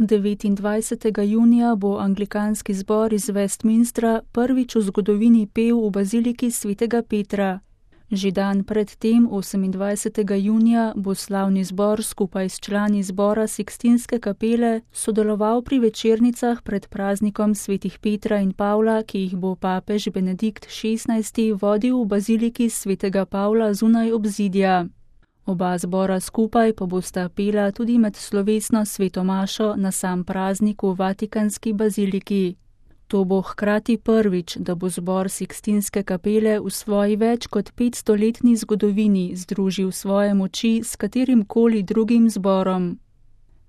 29. junija bo anglikanski zbor iz Westminstra prvič v zgodovini pel v baziliki svetega Petra. Že dan pred tem, 28. junija, bo slavni zbor skupaj s člani zbora Sikstinske kapele sodeloval pri večernicah pred praznikom svetih Petra in Pavla, ki jih bo papež Benedikt XVI. Vodil v baziliki svetega Pavla zunaj obzidja. Oba zbora skupaj pa bosta pela tudi med slovesno sveto mašo na sam praznik v Vatikanski baziliki. To bo hkrati prvič, da bo zbor Sikstinske kapele v svoji več kot 500-letni zgodovini združil svoje moči s katerimkoli drugim zborom.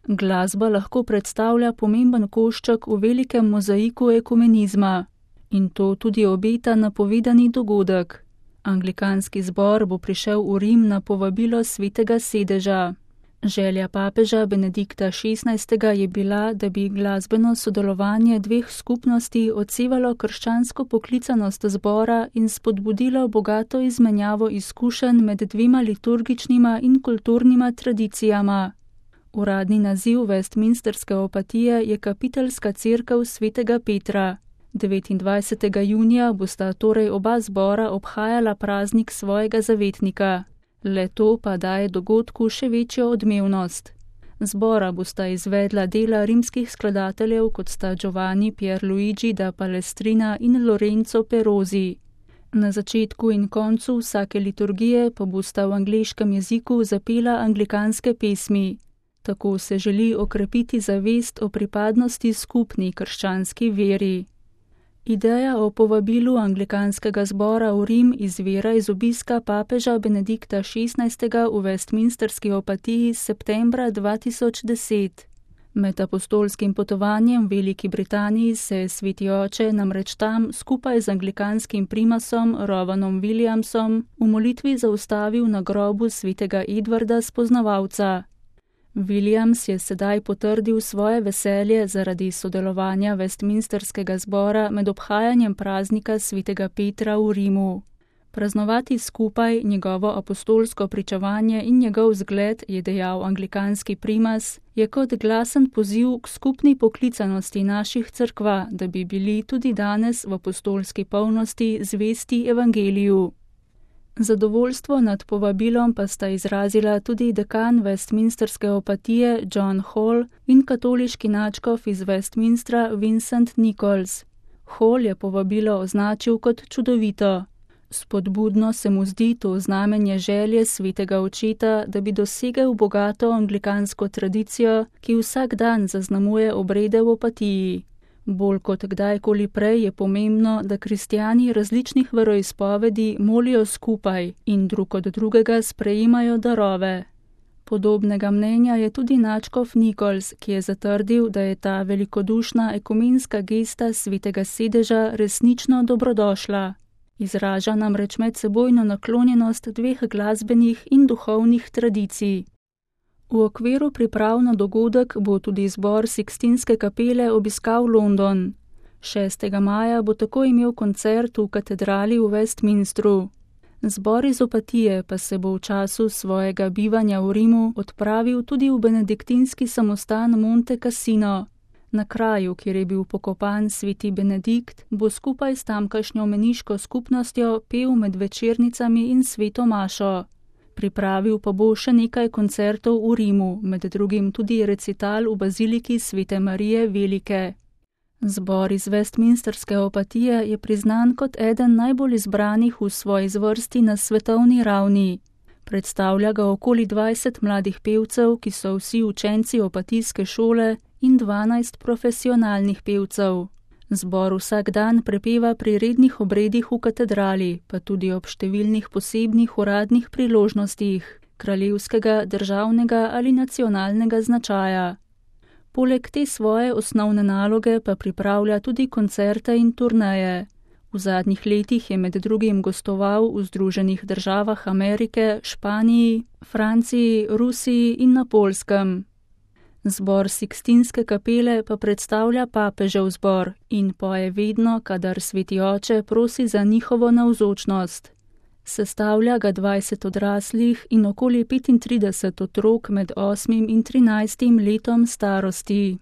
Glasba lahko predstavlja pomemben košček v velikem mozaiku ekumenizma. In to tudi obeta napovedani dogodek. Anglikanski zbor bo prišel v Rim na povabilo svetega sedeža. Želja papeža Benedikta XVI. Je bila, da bi glasbeno sodelovanje dveh skupnosti odsevalo krščansko poklicanost zbora in spodbudilo bogato izmenjavo izkušenj med dvema liturgičnima in kulturnima tradicijama. Uradni naziv Westminsterske opatije je Kapiteljska cerkev svetega Petra. 29. junija bosta torej oba zbora obhajala praznik svojega zavetnika. Le to pa daje dogodku še večjo odmevnost. Zbora bosta izvedla dela rimskih skladateljev, kot sta Giovanni Pierluigi da Palestrina in Lorenzo Perosi. Na začetku in koncu vsake liturgije pa bosta v angleškem jeziku zapela anglikanske pesmi. Tako se želi okrepiti zavest o pripadnosti skupni krščanski veri. Ideja o povabilu anglikanskega zbora v Rim izvira iz obiska papeža Benedikta XVI. V Westminsterski opatiji septembra 2010. Med apostolskim potovanjem v Veliki Britaniji se je sveti oče namreč tam skupaj z anglikanskim primasom Rovanom Williamsom v molitvi zaustavil na grobu svetega Edvarda Spoznavalca. Williams je sedaj potrdil svoje veselje zaradi sodelovanja Westminsterskega zbora med obhajanjem praznika svetega Petra v Rimu. Praznovati skupaj njegovo apostolsko pričevanje in njegov zgled, je dejal anglikanski primas, je kot glasen poziv k skupni poklicanosti naših cerkva, da bi bili tudi danes v apostolski polnosti zvesti evangeliju. Zadovoljstvo nad povabilom pa sta izrazila tudi dekan Westminsterske opatije John Hall in katoliški nadškof iz Westminstra Vincent Nichols. Hall je povabilo označil kot čudovito. Spodbudno se mu zdi to znamenje želje svetega očeta, da bi dosegel bogato anglikansko tradicijo, ki vsak dan zaznamuje obrede v opatiji. Bolj kot kdajkoli prej je pomembno, da kristjani različnih veroizpovedi molijo skupaj in drug od drugega sprejemajo darove. Podobnega mnenja je tudi nadškof Nichols, ki je zatrdil, da je ta velikodušna ekumenska gesta svetega sedeža resnično dobrodošla. Izraža namreč medsebojno naklonjenost dveh glasbenih in duhovnih tradicij. V okviru priprav na dogodek bo tudi zbor Sikstinske kapele obiskal London. 6. maja bo tako imel koncert v katedrali v Westminstru. Zbor iz opatije pa se bo v času svojega bivanja v Rimu odpravil tudi v benediktinski samostan Monte Cassino. Na kraju, kjer je bil pokopan sveti Benedikt, bo skupaj s tamkajšnjo meniško skupnostjo pel med večernicami in sveto mašo. Pripravil pa bo še nekaj koncertov v Rimu, med drugim tudi recital v baziliki svete Marije Velike. Zbor iz Westminsterske opatije je priznan kot eden najbolj izbranih v svoji zvrsti na svetovni ravni. Predstavlja ga okoli 20 mladih pevcev, ki so vsi učenci opatijske šole, in 12 profesionalnih pevcev. Zbor vsak dan prepeva pri rednih obredih v katedrali, pa tudi ob številnih posebnih uradnih priložnostih, kraljevskega, državnega ali nacionalnega značaja. Poleg te svoje osnovne naloge pa pripravlja tudi koncerte in turneje. V zadnjih letih je med drugim gostoval v Združenih državah Amerike, Španiji, Franciji, Rusiji in na Poljskem. Zbor Sikstinske kapele pa predstavlja papežev zbor in poje vedno, kadar sveti oče prosi za njihovo navzočnost. Sestavlja ga 20 odraslih in okoli 35 otrok med 8 in 13 letom starosti.